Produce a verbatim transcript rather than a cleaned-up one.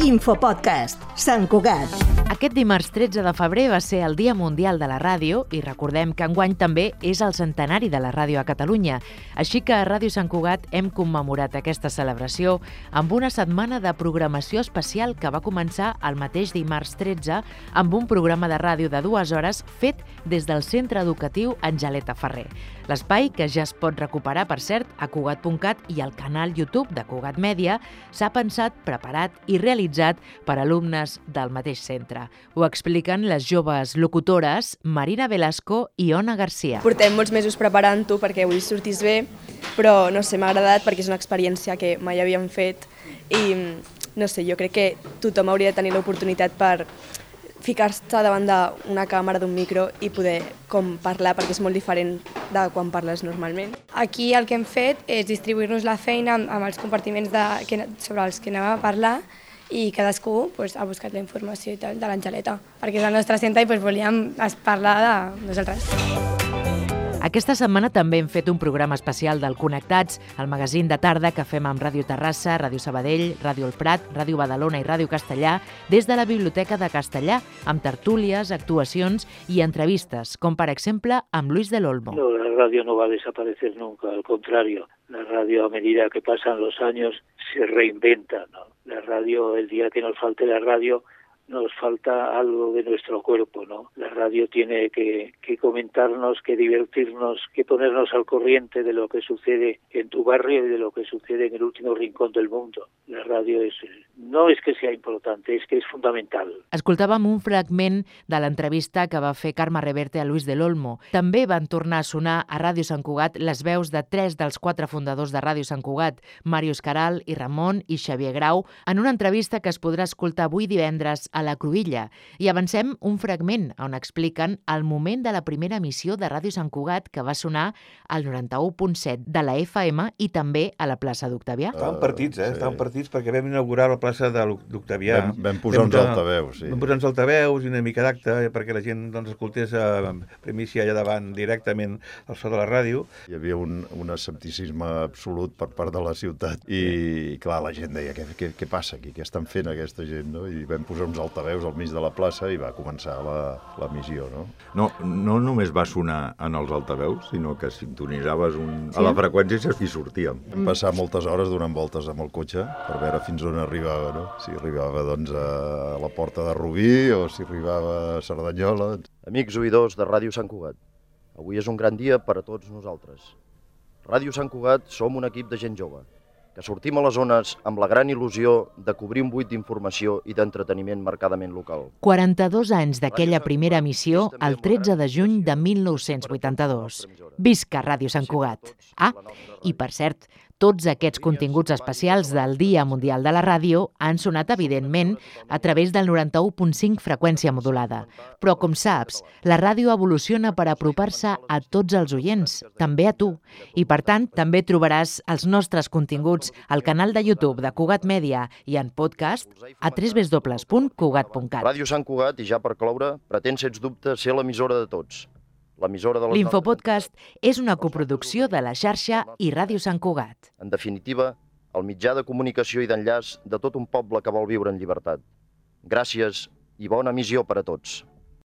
Infopodcast, Sant Cugat. Aquest dimarts tretze de febrer va ser el Dia Mundial de la Ràdio i recordem que enguany també és el centenari de la ràdio a Catalunya. Així que a Ràdio Sant Cugat hem commemorat aquesta celebració amb una setmana de programació especial que va començar el mateix dimarts tretze amb un programa de ràdio de dues hores fet des del Centre Educatiu Angeleta Ferrer. L'espai, que ja es pot recuperar, per cert, a cugat punt cat i al canal YouTube de Cugat Mèdia, s'ha pensat, preparat i realitzat per alumnes del mateix centre. Ho expliquen les joves locutores Marina Velasco i Ona Garcia. Portem molts mesos preparant-ho perquè avui sortís bé, però no sé, m'ha agradat perquè és una experiència que mai havíem fet i no sé, jo crec que tothom hauria de tenir l'oportunitat per ficar-se davant d'una càmera, d'un micro i poder com parlar, perquè és molt diferent de quan parles normalment. Aquí el que hem fet és distribuir-nos la feina amb, amb els compartiments de, que, sobre els que anem a parlar i cadascú pues, ha buscat la informació i tal de l'Angeleta, perquè és el nostre centre i pues, volíem parlar de nosaltres. Aquesta setmana també hem fet un programa especial del Connectats, el magazín de tarda que fem amb Ràdio Terrassa, Ràdio Sabadell, Ràdio El Prat, Ràdio Badalona i Ràdio Castellà, des de la Biblioteca de Castellà, amb tertúlies, actuacions i entrevistes, com per exemple amb Luis del Olmo. No, la radio no va a desaparecer nunca, al contrario, la radio a medida que pasan los años se reinventa, ¿no? La radio, el día que nos falte la radio, nos falta algo de nuestro cuerpo, ¿no? La radio tiene que, que comentarnos, que divertirnos, que ponernos al corriente de lo que sucede en tu barrio y de lo que sucede en el último rincón del mundo. La radio és, no és que sea importante, és que és fundamental. Escoltàvem un fragment de l'entrevista que va fer Carme Reverte a Luis del Olmo. També van tornar a sonar a Ràdio Sant Cugat les veus de tres dels quatre fundadors de Ràdio Sant Cugat, Màrius Caral i Ramon i Xavier Grau, en una entrevista que es podrà escoltar avui divendres a la Cruïlla. I avancem un fragment on expliquen el moment de la primera emissió de Ràdio Sant Cugat que va sonar al noranta-u punt set de la F M i també a la plaça d'Octavià. Estaven partits, eh? Sí. Estaven partits perquè vam inaugurar la plaça d'Octavià. Vam, vam posar uns altaveus, sí. Vam posar uns altaveus i una mica d'acte perquè la gent doncs, escoltés a primícia allà davant directament al so de la ràdio. Hi havia un, un escepticisme absolut per part de la ciutat i, clar, la gent deia, què, què, què passa aquí? Què estan fent aquesta gent? No? I vam posar uns altaveus al mig de la plaça i va començar l'emissió, no? No, no només va sonar en els altaveus, sinó que sintonitzaves un... sí? a la freqüència i sortíem. Vam passar moltes hores donant voltes amb el cotxe per veure fins on arribava, no? Si arribava doncs, a la Porta de Rubí o si arribava a Cerdanyola. Amics oïdors de Ràdio Sant Cugat, avui és un gran dia per a tots nosaltres. Ràdio Sant Cugat som un equip de gent jove, que sortim a les zones amb la gran il·lusió de cobrir un buit d'informació i d'entreteniment marcadament local. quaranta-dos anys d'aquella primera emissió el tretze de juny de mil nou-cents vuitanta-dos. Visca Ràdio Sant Cugat! Ah, i per cert, tots aquests continguts especials del Dia Mundial de la Ràdio han sonat, evidentment, a través del noranta-u punt cinc freqüència modulada. Però, com saps, la ràdio evoluciona per apropar-se a tots els oients, també a tu. I, per tant, també trobaràs els nostres continguts al canal de YouTube de Cugat Mèdia i en podcast a w w w punt cugat punt cat. Ràdio Sant Cugat, i ja per cloure, pretén, sens dubte, ser l'emissora de tots. L'Infopodcast és una coproducció de la xarxa i Ràdio Sant Cugat. En definitiva, el mitjà de comunicació i d'enllaç de tot un poble que vol viure en llibertat. Gràcies i bona emissió per a tots.